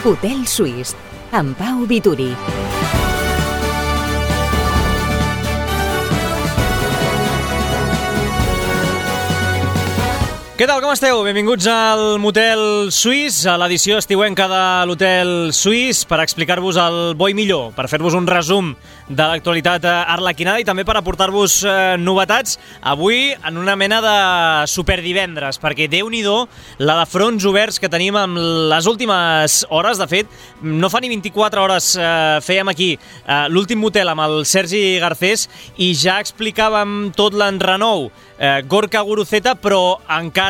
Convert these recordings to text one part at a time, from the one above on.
Hotel Suís, amb Pau Vituri. Què tal, com esteu? Benvinguts al Motel Suís, a l'edició estiuenca de l'Hotel Suís, per explicar-vos el bo i millor, per fer-vos un resum de l'actualitat arlequinada i també per aportar-vos novetats avui en una mena de superdivendres, perquè Déu-n'hi-do la de fronts oberts que tenim en les últimes hores. De fet, no fa ni 24 hores fèiem aquí l'últim motel amb el Sergi Garcés i ja explicàvem tot l'enrenou Gorka Guruceta, però encara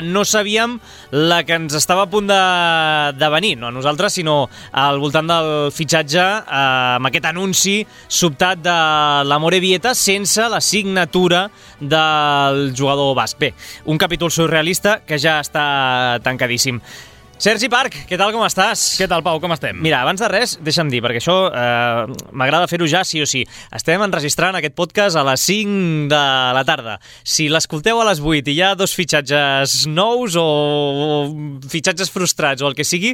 no sabíem la que ens estava a punt de venir, no a nosaltres, sinó al voltant del fitxatge amb aquest anunci sobtat de l'Amorebieta sense la signatura del jugador basc. Bé, un capítol surrealista que ja està tancadíssim. Sergi Parc, què tal, com estàs? Què tal, Pau, com estem? Mira, abans de res, deixa'm dir, perquè això m'agrada fer-ho ja sí o sí. Estem enregistrant aquest podcast a les 5 de la tarda. Si l'escolteu a les 8 i hi ha dos fitxatges nous o fitxatges frustrats o el que sigui,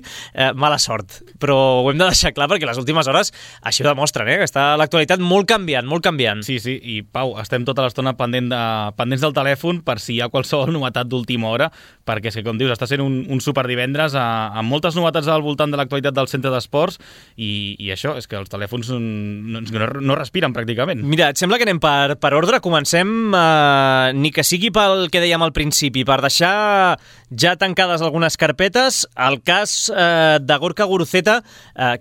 mala sort. Però ho hem de deixar clar perquè les últimes hores així ho demostren, que està l'actualitat molt canviant, molt canviant. Sí, i Pau, estem tota l'estona pendents del telèfon per si hi ha qualsevol novetat d'última hora, perquè és que, com dius, està sent un superdivendres amb moltes novetats al voltant de l'actualitat del centre d'esports i això, és que els telèfons no respiren pràcticament. Mira, et sembla que anem per ordre? Comencem, ni que sigui pel que dèiem al principi, per deixar ja tancades algunes carpetes, el cas de Gorka Guruceta,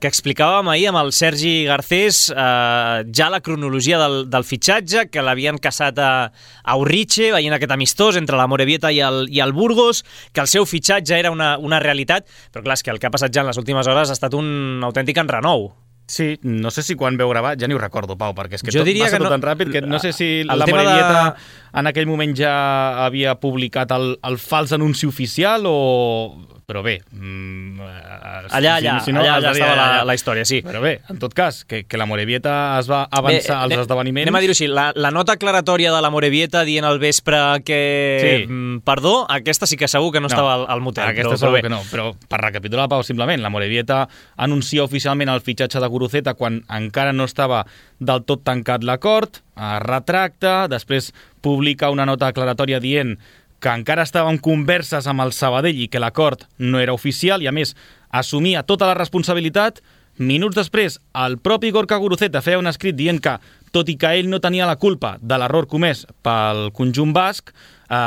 que explicàvem ahir amb el Sergi Garcés, ja la cronologia del fitxatge, que l'havien caçat a Urriche, veient aquest amistós entre l'Amorebieta i el Burgos, que el seu fitxatge era una realitat, però clar, és que el que ha passat ja en les últimes hores ha estat un autèntic enrenou. Sí, no sé si quan veu gravar, ja ni ho recordo, Pau, perquè és que jo tot passa tot tan ràpid que no sé si l'Amorebieta en aquell moment ja havia publicat el fals anunci oficial o... Però bé... Allà estava la història, sí. Però bé, en tot cas, que l'Amorebieta es va avançar als esdeveniments... Anem a dir-ho així, la nota aclaratòria de l'Amorebieta dient al vespre que... Sí. Perdó, aquesta sí que segur que no estava al motel. Aquesta segur que no, però per recapitular, Pau, simplement, l'Amorebieta anuncia oficialment el fitxatge de Guruceta quan encara no estava del tot tancat l'acord, es retracta, després publica una nota aclaratòria dient que encara estava en converses amb el Sabadell i que l'acord no era oficial i, a més, assumia tota la responsabilitat. Minuts després, el propi Gorka Guruceta feia un escrit dient que, tot i que ell no tenia la culpa de l'error comès pel conjunt basc,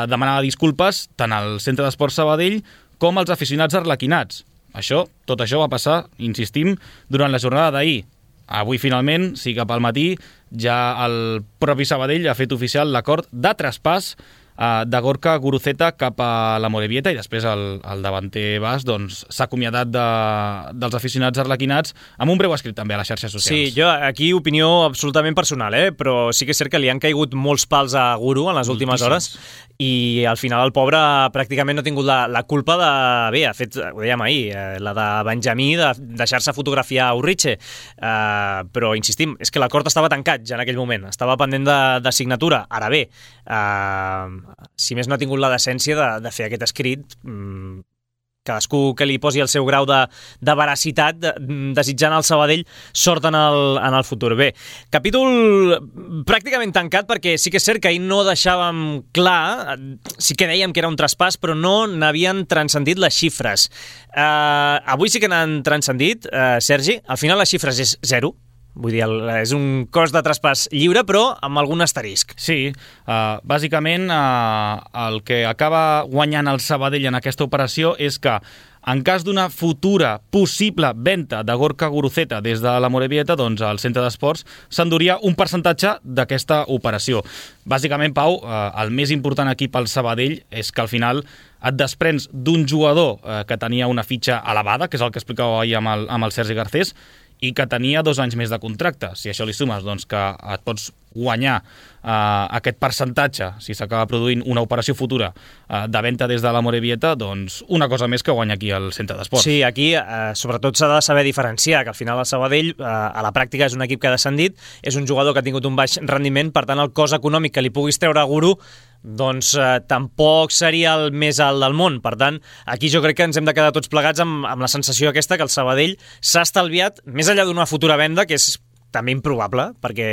demanava disculpes tant al Centre d'Esports Sabadell com als aficionats arlequinats. Tot això va passar, insistim, durant la jornada d'ahir. Avui, finalment, sí, cap al matí, ja el propi Sabadell ha fet oficial l'acord de traspàs de Gorka Guruceta cap a l'Amorebieta i després el davanter basc s'ha acomiadat dels aficionats arlequinats amb un breu escrit també a les xarxes socials. Sí, jo aquí opinió absolutament personal, però sí que és cert que li han caigut molts pals a Guru en les últimes hores i al final el pobre pràcticament no ha tingut la culpa de... Bé, ha fet, ho dèiem ahir, la de Benjamí de deixar-se fotografiar a Urriche, però insistim, és que l'acord estava tancat ja en aquell moment, estava pendent de signatura. Ara bé, si més no ha tingut la decència de fer aquest escrit, cadascú que li posi el seu grau de veracitat, desitjant al Sabadell sort en el futur. Bé, capítol pràcticament tancat, perquè sí que és cert que ahir no deixàvem clar, sí que dèiem que era un traspàs, però no n'havien transcendit les xifres. Avui sí que n'han transcendit, Sergi, al final les xifres és 0. Vull dir, és un cost de traspàs lliure, però amb algun asterisc. Sí, bàsicament el que acaba guanyant el Sabadell en aquesta operació és que en cas d'una futura possible venda de Gorka Guruceta des de l'Amorebieta, doncs el centre d'esports s'enduria un percentatge d'aquesta operació. Bàsicament, Pau, el més important aquí pel Sabadell és que al final et desprens d'un jugador que tenia una fitxa elevada, que és el que explicava ahir amb el Sergi Garcés, i que tenia 2 anys més de contracte. Si això li sumes doncs, que et pots guanyar aquest percentatge, si s'acaba produint una operació futura de venda des de la Morevieta, doncs una cosa més que guanya aquí al centre d'esports. Sí, aquí sobretot s'ha de saber diferenciar, que al final el Sabadell a la pràctica és un equip que ha descendit, és un jugador que ha tingut un baix rendiment, per tant el cost econòmic que li puguis treure a Guru doncs tampoc seria el més alt del món. Per tant, aquí jo crec que ens hem de quedar tots plegats amb la sensació aquesta que el Sabadell s'ha estalviat, més enllà d'una futura venda, que és també improbable, perquè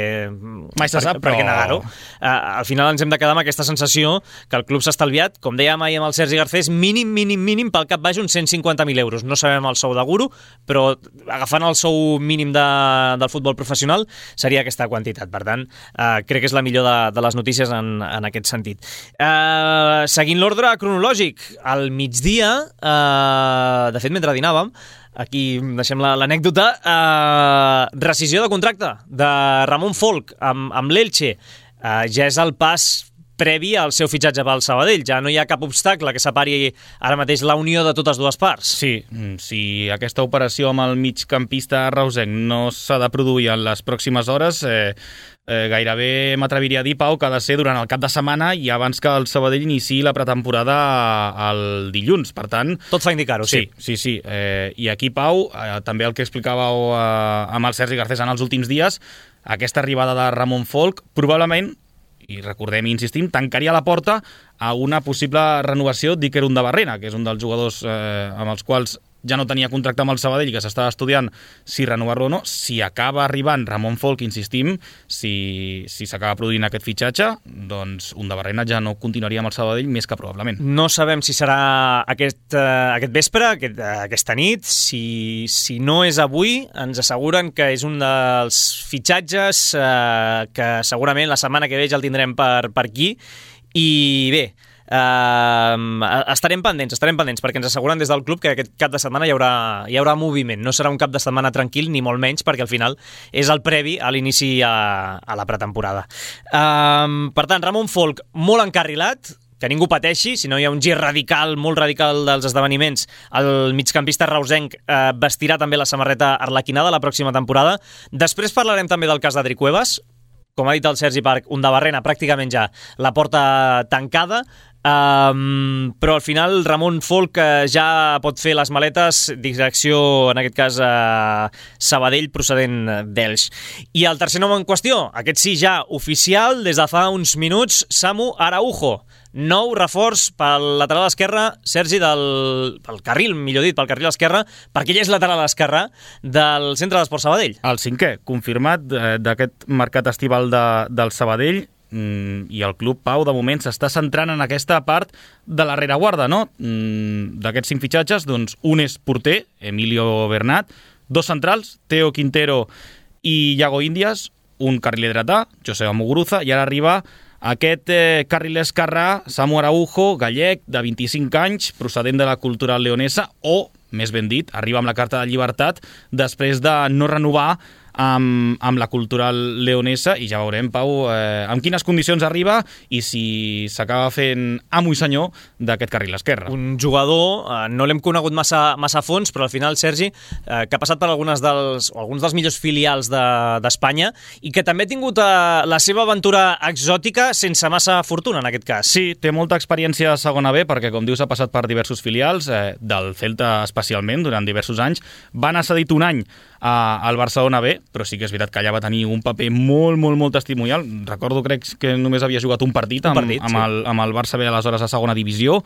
mai se sap, però... negar-ho. Al final ens hem de quedar amb aquesta sensació que el club s'ha estalviat, com dèiem ahir amb el Sergi Garcés, mínim pel cap baix uns 150.000 euros. No sabem el sou de Guru, però agafant el sou mínim del futbol professional seria aquesta quantitat. Per tant, crec que és la millor de les notícies en aquest sentit. Seguint l'ordre cronològic, al migdia, de fet, mentre dinàvem, aquí deixem l'anècdota, rescisió de contracte de Ramon Folk amb l'Elche. Ja és el pas previ al seu fitxatge pel Sabadell. Ja no hi ha cap obstacle que separi ara mateix la unió de totes dues parts. Sí, si aquesta operació amb el migcampista reusenc no s'ha de produir en les pròximes hores, gairebé m'atreviria a dir, Pau, que ha de ser durant el cap de setmana i abans que el Sabadell iniciï la pretemporada el dilluns. Per tant... Tot fa indicar-ho, sí. Sí. I aquí, Pau, també el que explicàveu amb el Sergi Garcés en els últims dies, aquesta arribada de Ramon Folk probablement, i recordem i insistim, tancaria la porta a una possible renovació d'Iker Undabarrena, que és un dels jugadors amb els quals ja no tenia contracte amb el Sabadell i que s'estava estudiant si renovar-lo o no. Si acaba arribant Ramon Folk, insistim, si s'acaba produint aquest fitxatge, doncs Undabarrena ja no continuaria amb el Sabadell més que probablement. No sabem si serà aquest vespre, aquesta nit. Si no és avui, ens asseguren que és un dels fitxatges que segurament la setmana que ve ja el tindrem per aquí. I bé, estarem pendents perquè ens asseguren des del club que aquest cap de setmana hi haurà moviment. No serà un cap de setmana tranquil, ni molt menys, perquè al final és el previ a l'inici a la pretemporada. Per tant, Ramon Folk molt encarrilat, que ningú pateixi, si no hi ha un gir molt radical dels esdeveniments. El migcampista reusenc vestirà també la samarreta arlequinada la pròxima temporada. Després parlarem també del cas d'Adri Cuevas. Com ha dit el Sergi Parc, Undabarrena pràcticament ja la porta tancada, però al final Ramon Folk ja pot fer les maletes, direcció, en aquest cas, Sabadell, procedent d'Elx. I el tercer nom en qüestió, aquest sí ja oficial, des de fa uns minuts, Samu Araujo. Nou reforç pel lateral esquerre, Sergi, pel carril, millor dit, pel carril esquerre, perquè ell és lateral esquerre del Centre d'Esports Sabadell. El cinquè, confirmat d'aquest mercat estival del Sabadell, i el club, Pau, de moment s'està centrant en aquesta part de la rereguarda, no? D'aquests 5 fitxatges, doncs un és porter, Emilio Bernat, 2 centrals, Teo Quintero i Iago Índias, un carriler dretà, Joseba Muguruza, i ara arriba aquest carriler esquerrà, Samu Araujo, gallec, de 25 anys, procedent de la Cultural Leonesa, o, més ben dit, arriba amb la carta de llibertat després de no renovar amb la Cultural Leonesa, i ja veurem, Pau, amb quines condicions arriba i si s'acaba fent amo i senyor d'aquest carril esquerre. Un jugador, no l'hem conegut massa a fons, però al final, Sergi, que ha passat per alguns dels millors filials d'Espanya i que també ha tingut la seva aventura exòtica sense massa fortuna, en aquest cas. Sí, té molta experiència a segona B, perquè, com dius, ha passat per diversos filials, del Celta especialment, durant diversos anys. Va anar cedit un any al Barcelona B, però sí que és veritat que allà va tenir un paper molt testimonial. Recordo, crec que només havia jugat un partit amb el Barça B, aleshores a segona divisió.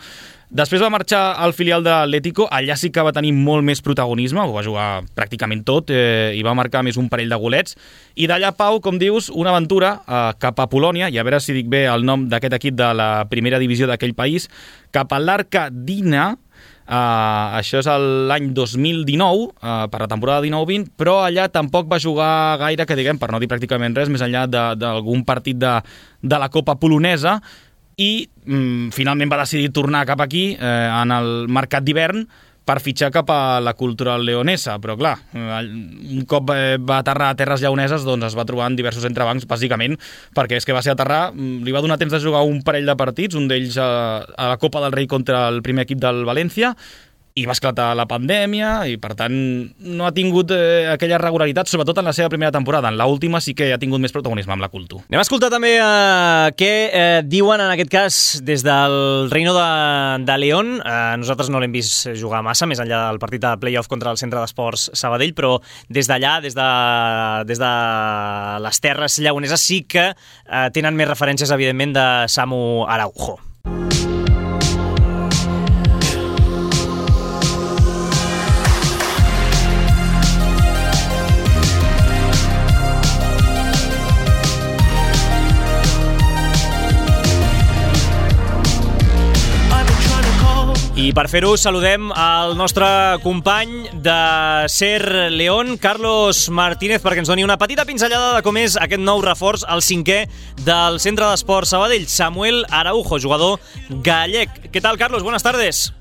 Després va marxar al filial de l'Atlético, allà sí que va tenir molt més protagonisme, ho va jugar pràcticament tot, i va marcar més un parell de golets. I d'allà, Pau, com dius, una aventura cap a Polònia, i a veure si dic bé el nom d'aquest equip de la primera divisió d'aquell país, cap a l'Arcadina. Això és l'any 2019, per la temporada 19-20, però allà tampoc va jugar gaire, que diguem, per no dir pràcticament res, més enllà d'algun partit de la Copa polonesa, i finalment va decidir tornar cap aquí en el mercat d'hivern per fitxar cap a la Cultural Leonesa, però clar, un cop va aterrar a terres lleoneses, doncs es va trobar en diversos entrebancs, bàsicament perquè és que va ser aterrar, li va donar temps de jugar un parell de partits, un d'ells a la Copa del Rei contra el primer equip del València, i va esclatar la pandèmia i, per tant, no ha tingut aquella regularitat, sobretot en la seva primera temporada. En l'última sí que ha tingut més protagonisme amb la Cultu. Anem a escoltar també què diuen, en aquest cas, des del Reino de León. Nosaltres no l'hem vist jugar massa, més enllà del partit de play-off contra el Centre d'Esports Sabadell, però des d'allà, des de les terres lleoneses, sí que tenen més referències, evidentment, de Samu Araujo. I per fer-ho saludem el nostre company de Ser León, Carlos Martínez, perquè ens doni una petita pinzellada de com és aquest nou reforç, el 5è del Centre d'Esports Sabadell, Samuel Araujo, jugador gallec. ¿Qué tal, Carlos? Buenas tardes.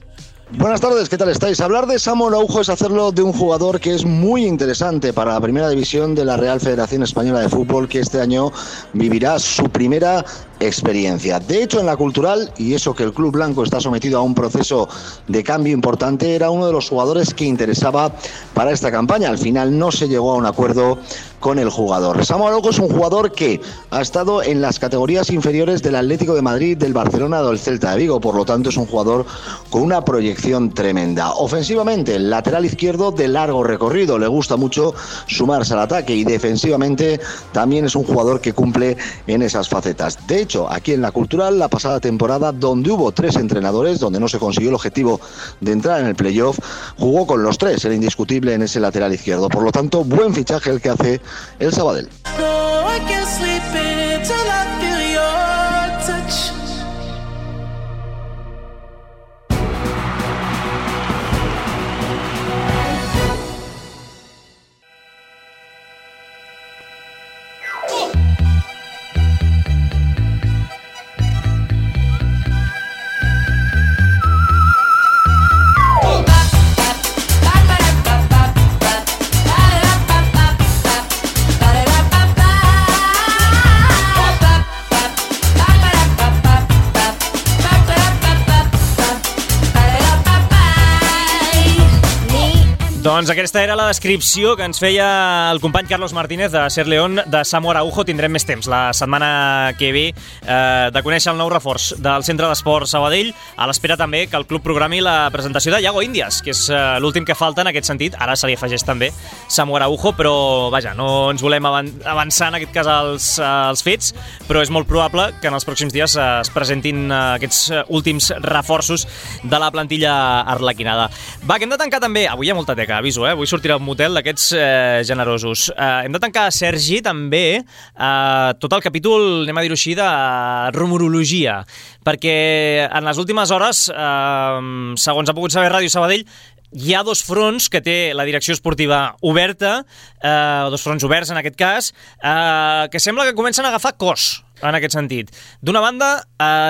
Buenas tardes, ¿qué tal estáis? Hablar de Samu Araujo es hacerlo de un jugador que es muy interesante para la primera división de la Real Federación Española de Fútbol, que este año vivirá su primera experiencia. De hecho, en la Cultural, y eso que el Club Blanco está sometido a un proceso de cambio importante, era uno de los jugadores que interesaba para esta campaña. Al final no se llegó a un acuerdo con el jugador. Samu Araujo es un jugador que ha estado en las categorías inferiores del Atlético de Madrid, del Barcelona o del Celta de Vigo, por lo tanto es un jugador con una proyección tremenda. Ofensivamente, lateral izquierdo de largo recorrido, le gusta mucho sumarse al ataque, y defensivamente también es un jugador que cumple en esas facetas. De hecho, aquí en la Cultural, la pasada temporada, donde hubo 3 entrenadores, donde no se consiguió el objetivo de entrar en el playoff, jugó con los 3, era indiscutible en ese lateral izquierdo. Por lo tanto, buen fichaje el que hace el Sabadell. Doncs aquesta era la descripció que ens feia el company Carlos Martínez de Ser León de Samu Araujo. Tindrem més temps la setmana que ve de conèixer el nou reforç del Centre d'Esports Sabadell, a l'espera també que el club programi la presentació de Iago Índias, que és l'últim que falta en aquest sentit. Ara se li afegeix també Samu Araujo, però vaja, no ens volem avançar en aquest cas als fets, però és molt probable que en els pròxims dies es presentin aquests últims reforços de la plantilla arlequinada. Va, que hem de tancar també, avui hi ha molta teca, aviso, vull sortir al motel d'aquests generosos. Hem de tancar, Sergi, també tot el capítol, anem a dir-ho així, de rumorologia, perquè en les últimes hores, segons ha pogut saber Ràdio Sabadell, hi ha 2 fronts que té la direcció esportiva oberta, 2 fronts oberts en aquest cas, que sembla que comencen a agafar cos en aquest sentit. D'una banda,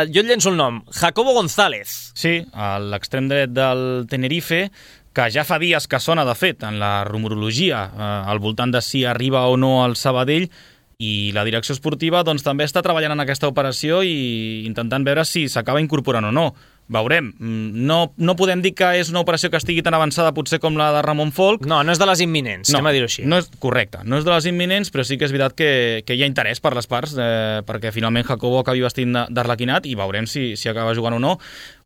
jo et llenço el nom, Jacobo González. Sí, a l'extrem dret del Tenerife, que ja fa dies que sona, de fet, en la rumorologia, al voltant de si arriba o no al Sabadell, i la direcció esportiva doncs, també està treballant en aquesta operació i intentant veure si s'acaba incorporant o no. Veurem. No podem dir que és una operació que estigui tan avançada potser com la de Ramon Folk. No és de les imminents, anem a dir-ho així. No és correcte, no és de les imminents, però sí que és veritat que hi ha interès per les parts, perquè finalment Jacobo acabi vestint d'arlequinat i veurem si acaba jugant o no.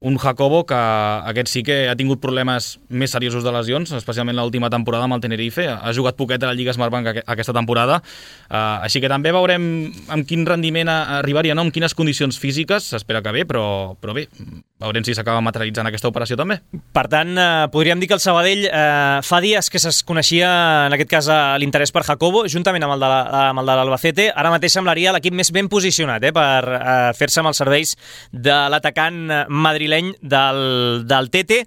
Un Jacobo que aquest sí que ha tingut problemes més seriosos de lesions, especialment l'última temporada amb el Tenerife. Ha jugat poquet a la Lliga Smartbank aquesta temporada, així que també veurem amb quin rendiment arribaria, no? Amb quines condicions físiques, s'espera que bé, però bé, veurem si s'acaba materialitzant aquesta operació també. Per tant, podríem dir que el Sabadell fa dies que es coneixia, en aquest cas, l'interès per Jacobo, juntament amb el de l'Albacete. Ara mateix semblaria l'equip més ben posicionat per fer-se amb els serveis de l'atacant madrileny del Tete.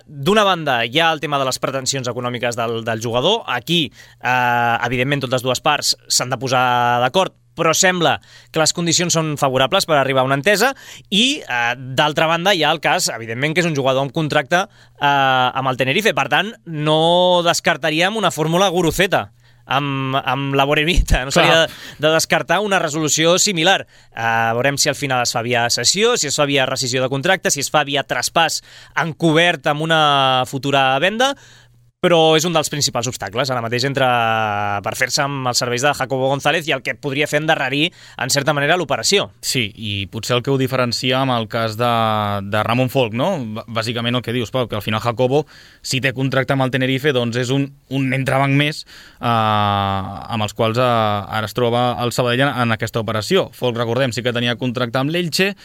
D'una banda, hi ha el tema de les pretensions econòmiques del jugador. Aquí, evidentment, totes dues parts s'han de posar d'acord, però sembla que les condicions són favorables per arribar a una entesa i, d'altra banda, hi ha el cas, evidentment, que és un jugador amb contracte amb el Tenerife. Per tant, no descartaríem una fórmula Guruceta amb la Morevita. No s'hauria de descartar una resolució similar. Veurem si al final es fa via cessió, si es fa via rescissió de contracte, si es fa via traspàs encobert amb una futura venda, però és un dels principals obstacles ara mateix per fer-se amb els serveis de Jacobo González i el que podria fer endarrerir, en certa manera, l'operació. Sí, i potser el que ho diferencia amb el cas de Ramon Folch, no? Bàsicament el que dius, Pau, que al final Jacobo, si té contracte amb el Tenerife, doncs és un entrebanc més amb els quals ara es troba el Sabadell en aquesta operació. Folch, recordem, sí que tenia contracte amb l'Elche,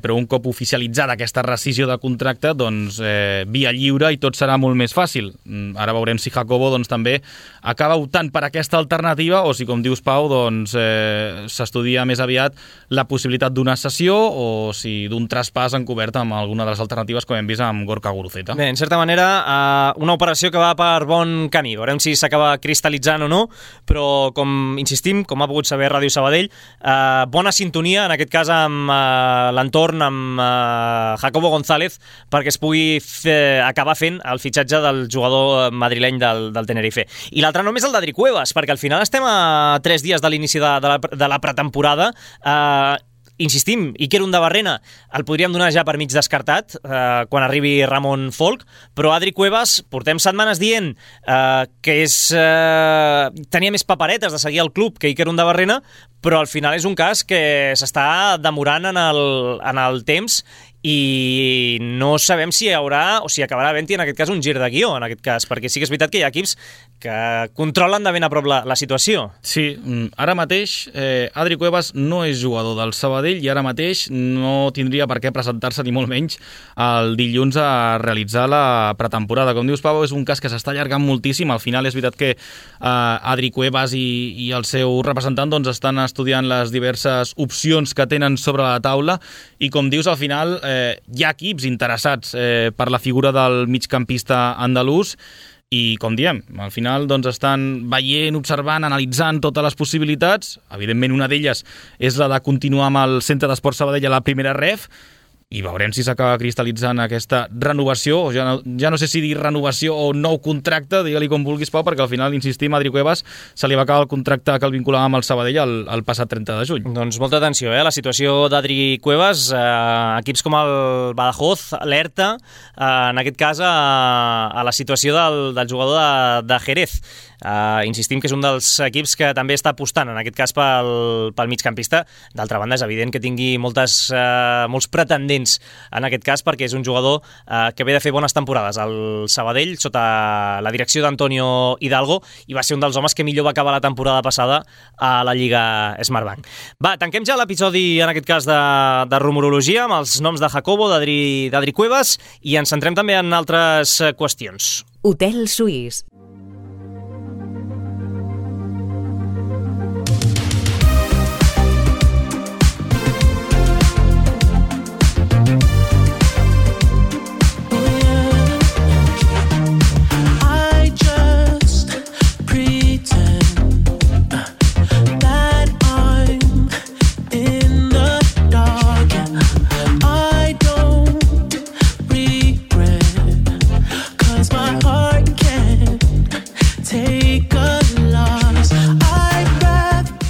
però un cop oficialitzada aquesta rescissió de contracte, doncs via lliure i tot serà molt més fàcil. Ara veurem si Jacobo doncs, també acaba optant per aquesta alternativa o si, com dius, Pau, doncs, s'estudia més aviat la possibilitat d'una cessió o si d'un traspàs encobert amb alguna de les alternatives com hem vist amb Gorka Guruceta. Bé, en certa manera, una operació que va per bon camí. Veurem si s'acaba cristal·litzant o no, però, com insistim, com ha pogut saber Ràdio Sabadell, bona sintonia, en aquest cas amb l'entorn, amb Jacobo González, perquè es pugui acabar fent el fitxatge del jugador madrileny del Tenerife. I l'altre nom és el d'Adri Cuevas, perquè al final estem a 3 dies de l'inici de la pretemporada. Insistim, Iker Undabarrena el podríem donar ja per mig descartat quan arribi Ramon Folch, però Adri Cuevas portem setmanes dient que tenia més paperetes de seguir el club que Iker Undabarrena, però al final és un cas que s'està demorant en el temps i no sabem si hi haurà o si acabarà havent-hi en aquest cas un gir de guió, en aquest cas, perquè sí que és veritat que hi ha equips que controlen de ben a prop la situació. Sí, ara mateix Adri Cuevas no és jugador del Sabadell i ara mateix no tindria per què presentar-se ni molt menys el dilluns a realitzar la pretemporada. Com dius, Pau, és un cas que s'està allargant moltíssim. Al final és veritat que Adri Cuevas i el seu representant doncs, estan estudiant les diverses opcions que tenen sobre la taula i, com dius, al final hi ha equips interessats per la figura del migcampista andalús i, com diem, al final doncs, estan veient, observant, analitzant totes les possibilitats. Evidentment, una d'elles és la de continuar amb el Centre d'Esport Sabadell a la primera ref, i veurem si s'acaba cristal·litzant aquesta renovació, o ja no sé si dir renovació o nou contracte, digue-li com vulguis, Pau, perquè al final, insistim, a Adri Cuevas se li va acabar el contracte que el vinculava amb el Sabadell el passat 30 de juny. Doncs molta atenció, la situació d'Adri Cuevas, equips com el Badajoz, l'Herta, en aquest cas a la situació del jugador de Jerez. Insistim que és un dels equips que també està apostant, en aquest cas pel migcampista. D'altra banda, és evident que tingui molts pretendents en aquest cas, perquè és un jugador que ve de fer bones temporades al Sabadell sota la direcció d'Antonio Hidalgo i va ser un dels homes que millor va acabar la temporada passada a la Lliga Smartbank. Va, tanquem ja l'episodi, en aquest cas, de rumorologia amb els noms de Jacobo, d'Adri Cuevas, i ens centrem també en altres qüestions. Hotel Suís.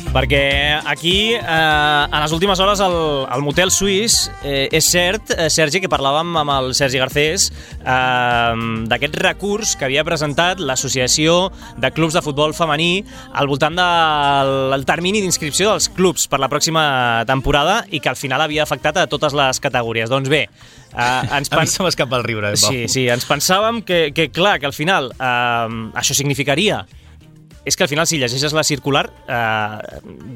Perquè aquí, en les últimes hores, al Motel Suís, és cert, Sergi, que parlàvem amb el Sergi Garcés d'aquest recurs que havia presentat l'Associació de Clubs de Futbol Femení al voltant del termini d'inscripció dels clubs per la pròxima temporada i que al final havia afectat a totes les categories. Doncs bé, a mi se m'escapa el riure. Sí, ens pensàvem que clar, que al final això significaria... És que al final, si llegeixes la circular,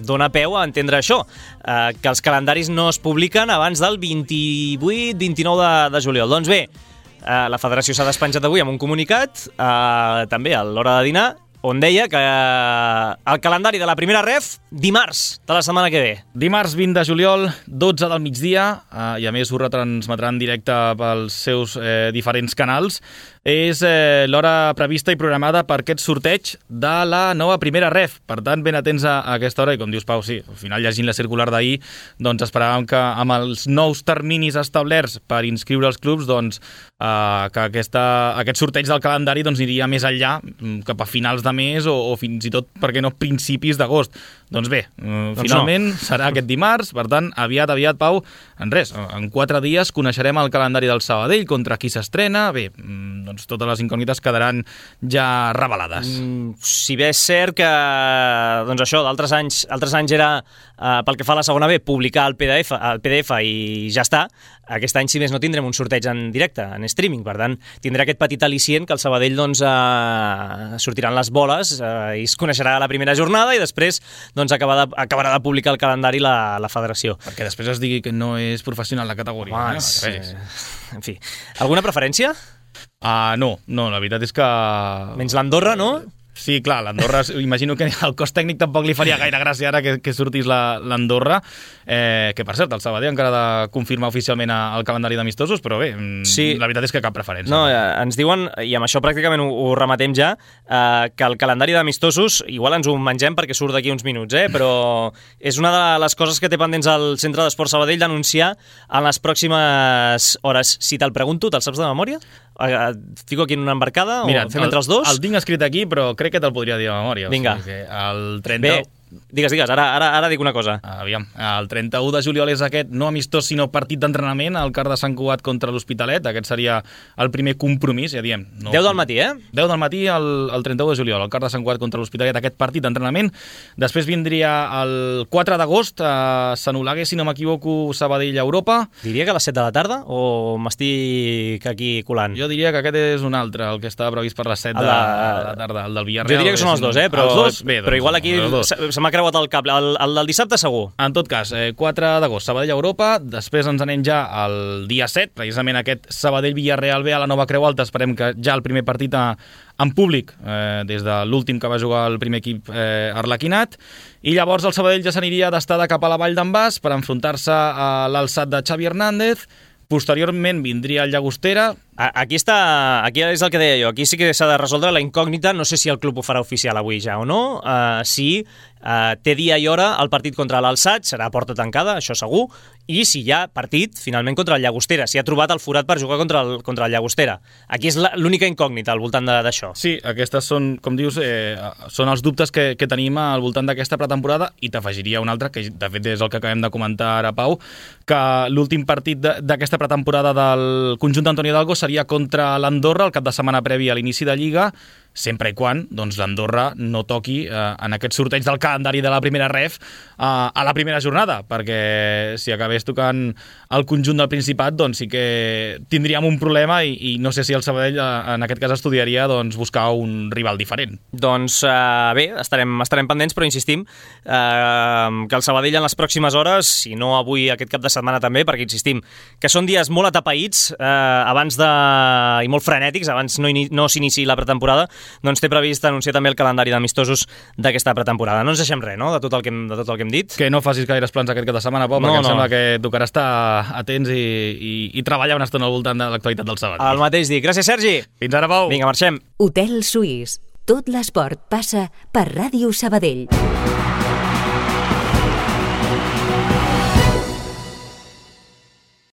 dona peu a entendre això, que els calendaris no es publiquen abans del 28-29 de juliol. Doncs bé, la federació s'ha despenjat avui amb un comunicat, també a l'hora de dinar, on deia que el calendari de la primera ref, dimarts de la setmana que ve. Dimarts 20 de juliol, 12 del migdia, i a més ho retransmetran en directe pels seus diferents canals. És l'hora prevista i programada per aquest sorteig de la nova primera ref. Per tant, ben atents a aquesta hora, i com dius, Pau, sí, al final, llegint la circular d'ahir, doncs esperàvem que amb els nous terminis establerts per inscriure els clubs, doncs que aquest sorteig del calendari doncs, aniria més enllà, cap a finals de més o fins i tot, per què no, principis d'agost. Doncs bé, finalment serà aquest dimarts, per tant, aviat, Pau, en 4 dies coneixerem el calendari del Sabadell, contra qui s'estrena. Bé, doncs totes les incògnites quedaran ja revelades. Si bé és cert que, doncs això, d'altres anys era, pel que fa a la segona B, publicar el PDF i ja està. Aquest any, si més no, tindrem un sorteig en directe, en streaming, per tant, tindrà aquest petit al·licient que el Sabadell doncs, sortiran les boles i es coneixerà la primera jornada i després doncs, acabarà de publicar el calendari la federació. Perquè després es digui que no és professional la categoria. En fi, alguna preferència? No, la veritat és que... Menys l'Andorra, no? Sí, clar, l'Andorra, imagino que al cos tècnic tampoc li faria gaire gràcia ara que sortís l'Andorra, que per cert, el Sabadell encara ha de confirmar oficialment el calendari d'amistosos, però bé, sí. La veritat és que cap preferència. No, ens diuen, i amb això pràcticament ho rematem ja, que el calendari d'amistosos, igual ens ho mengem perquè surt d'aquí uns minuts, però és una de les coses que té pendents al Centre d'Esport Sabadell d'anunciar en les pròximes hores. Si te'l pregunto, te'l saps de memòria? Et fico aquí en una embarcada? Mira, o fem entre els dos? El tinc escrit aquí, però crec que te'l podria dir de memòria. Vinga. O sigui que el 30... Bé, digues, ara dic una cosa. Aviam, el 31 de juliol és aquest, no amistós, sinó partit d'entrenament, al Car de Sant Cugat contra l'Hospitalet. Aquest seria el primer compromís, ja diem. 10 del matí, 10 del matí, el 31 de juliol, al Car de Sant Cugat contra l'Hospitalet, aquest partit d'entrenament. Després vindria el 4 d'agost, a Sant Olague, si no m'equivoco, Sabadell-Europa. Diria que a les 7 de la tarda, o m'estic aquí colant? Jo diria que aquest és un altre, el que estava previst per les 7 de la tarda, el del Villarreal. Jo diria que són els dos, però, els dos? Bé, doncs, però igual aquí se m'ha creuat el cable. El del dissabte segur. En tot cas, 4 d'agost, Sabadell-Europa, després ens anem ja al dia 7, precisament aquest Sabadell-Villarreal B a la Nova Creu Alta, esperem que ja el primer partit en públic, des de l'últim que va jugar el primer equip arlequinat, i llavors el Sabadell ja s'aniria d'estada cap a la Vall d'en Bas per enfrontar-se a l'alçat de Xavi Hernández. Posteriorment vindria el Llagostera. Aquí és el que deia jo, aquí sí que s'ha de resoldre la incògnita, no sé si el club ho farà oficial avui ja o no, si té dia i hora el partit contra l'Alçat, serà a porta tancada, això segur, i si hi ha partit finalment contra el Llagostera, si ha trobat el forat per jugar contra el Llagostera. Aquí és l'única incògnita al voltant d'això. Sí, aquestes són, com dius, són els dubtes que tenim al voltant d'aquesta pretemporada, i t'afegiria un altre, que de fet és el que acabem de comentar ara, Pau, que l'últim partit d'aquesta pretemporada del conjunt d'Antonio Hidalgo seria contra l'Andorra el cap de setmana previ a l'inici de Lliga, sempre i quan doncs, l'Andorra no toqui en aquest sorteig del calendari de la primera ref a la primera jornada, perquè si acabés tocant el conjunt del Principat, doncs sí que tindríem un problema i no sé si el Sabadell en aquest cas estudiaria doncs, buscar un rival diferent. Doncs bé, estarem pendents, però insistim que el Sabadell en les pròximes hores, si no avui aquest cap de setmana també, perquè insistim que són dies molt atapeïts i molt frenètics, abans no s'inici la pretemporada, doncs té previst anunciar també el calendari d'amistosos d'aquesta pretemporada. No ens deixem res, no?, de tot el que hem dit. Que no facis gaires plans aquest cap de setmana, Pau, perquè em sembla que tocarà estar atents i treballar una estona al voltant de l'actualitat del Sabadell. El mateix dic. Gràcies, Sergi. Fins ara, Pau. Vinga, marxem. Hotel Suís. Tot l'esport passa per Ràdio Sabadell.